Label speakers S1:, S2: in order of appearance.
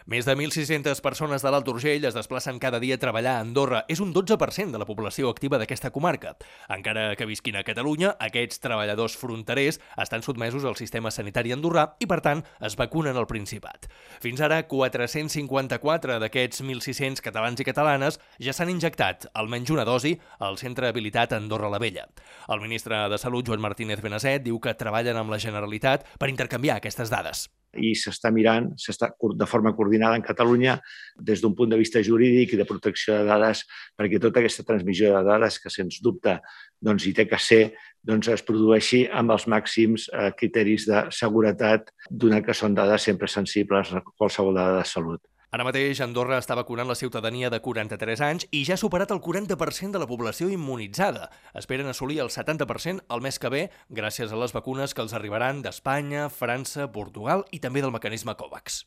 S1: Més de 1.600 persones de l'Alt Urgell es desplacen cada dia a treballar a Andorra. És un 12% de la població activa d'aquesta comarca. Encara que visquin a Catalunya, aquests treballadors fronterers estan sotmesos al sistema sanitari andorrà i, per tant, es vacunen al Principat. Fins ara, 454 d'aquests 1.600 catalans i catalanes ja s'han injectat almenys una dosi al centre habilitat Andorra la Vella. El ministre de Salut, Joan Martínez Benasset, diu que treballen amb la Generalitat per intercanviar aquestes dades.
S2: I s'està mirant de forma coordinada en Catalunya des d'un punt de vista jurídic i de protecció de dades, perquè tota aquesta transmissió de dades, que sens dubte hi té que ser, es produeixi amb els màxims criteris de seguretat, donat que són dades sempre sensibles a qualsevol dada de salut.
S1: Ara mateix, Andorra està vacunant la ciutadania de 43 anys i ja ha superat el 40% de la població immunitzada. Esperen assolir el 70% el mes que ve gràcies a les vacunes que els arribaran d'Espanya, França, Portugal i també del mecanisme COVAX.